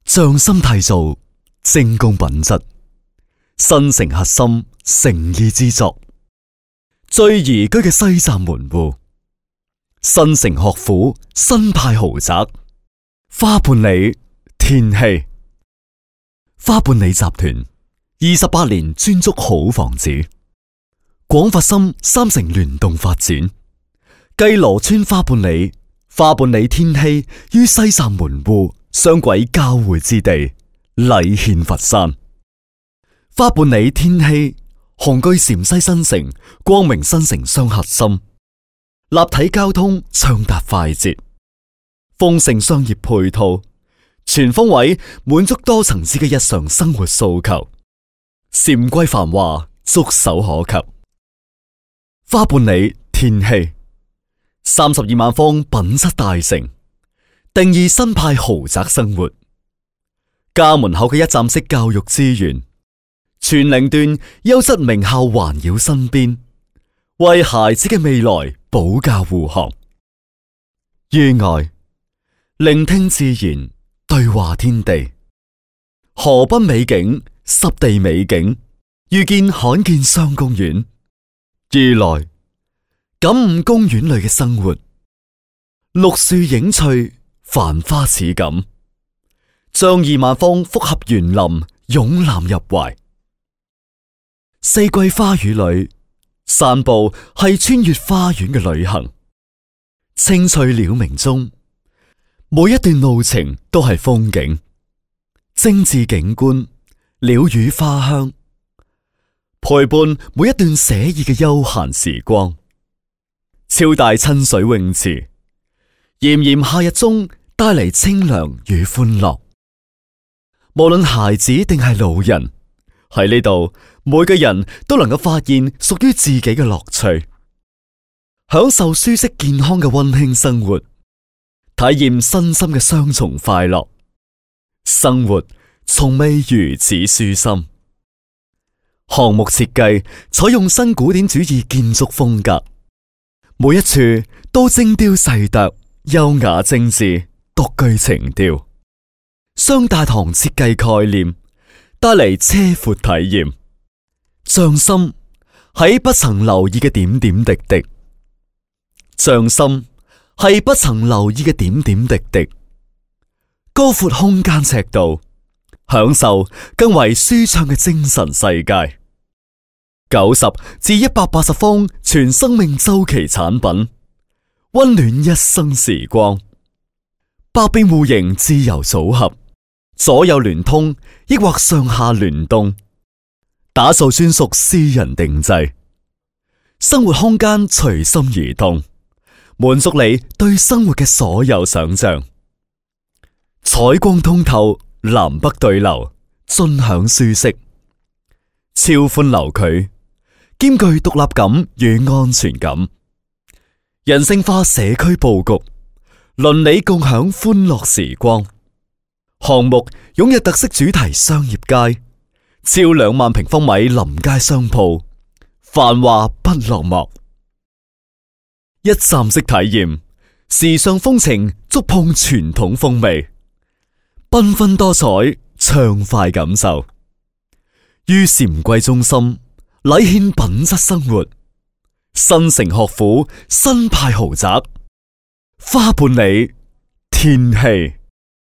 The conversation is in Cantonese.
匠心締造，精工品質，新城核心，誠意之作。最宜居嘅西站門戶，新城學府，新派豪宅，花半里天禧。花半里集團28年專捉好房子，廣發深3城聯動發展，繼羅村花半里、花半里天禧於西站門戶雙軌交匯之地，禮獻佛山。花半里天禧雄居陝西新城、光明新城雙核心，立體交通暢達快捷，豐盛商業配套，全方位滿足多層次嘅日常生活訴求，禪歸繁華觸手可及。花半里天禧32萬方品質大城，定義新派豪宅生活。家門口嘅一站式教育資源，全齡段優質名校環繞身邊，為孩子嘅未來保駕護航。於外，聆聽自然，對話天地，河濱美景、濕地美景，遇見罕見雙公園；於內，感悟公園裏嘅生活，綠樹影翠，繁花似錦，將2萬方複合園林擁攬入懷。四季花語裏，散步係穿越花園嘅旅行。青翠鳥鳴中，每一段路程都係風景，精緻景觀，鳥語花香，陪伴每一段寫意嘅悠閒時光。超大親水泳池，炎炎夏日中帶嚟清涼與歡樂。無論孩子定係老人，喺呢度，每個人都能夠發現屬於自己嘅樂趣，享受舒適健康嘅溫馨生活，體驗身心嘅雙重快樂。生活從未如此舒心。項目設計採用新古典主義建築風格，每一處都精雕細琢，優雅精緻，獨具情調。雙大堂設計概念帶嚟車闊體驗，匠心喺不曾留意嘅點點滴滴，匠心係不曾留意嘅點點滴滴。高闊空間尺度，享受更為舒暢嘅精神世界。90至180方全生命週期產品，溫暖一生時光。百變戶型自由組合，左右聯通，抑或上下聯動，打造專屬私人定製，生活空間隨心而動，滿足你對生活嘅所有想象。採光通透，南北對流，盡享舒適，超寬樓距，兼具獨立感與安全感。人性化社區佈局，鄰里共享歡樂時光。項目擁有特色主題商業街，超2萬平方米臨街商鋪，繁華不落幕。一站式體驗，時尚風情觸碰傳統風味，繽紛多彩，暢快感受。於禪歸中心，禮獻品質生活。新城學府，新派豪宅，花半里天禧。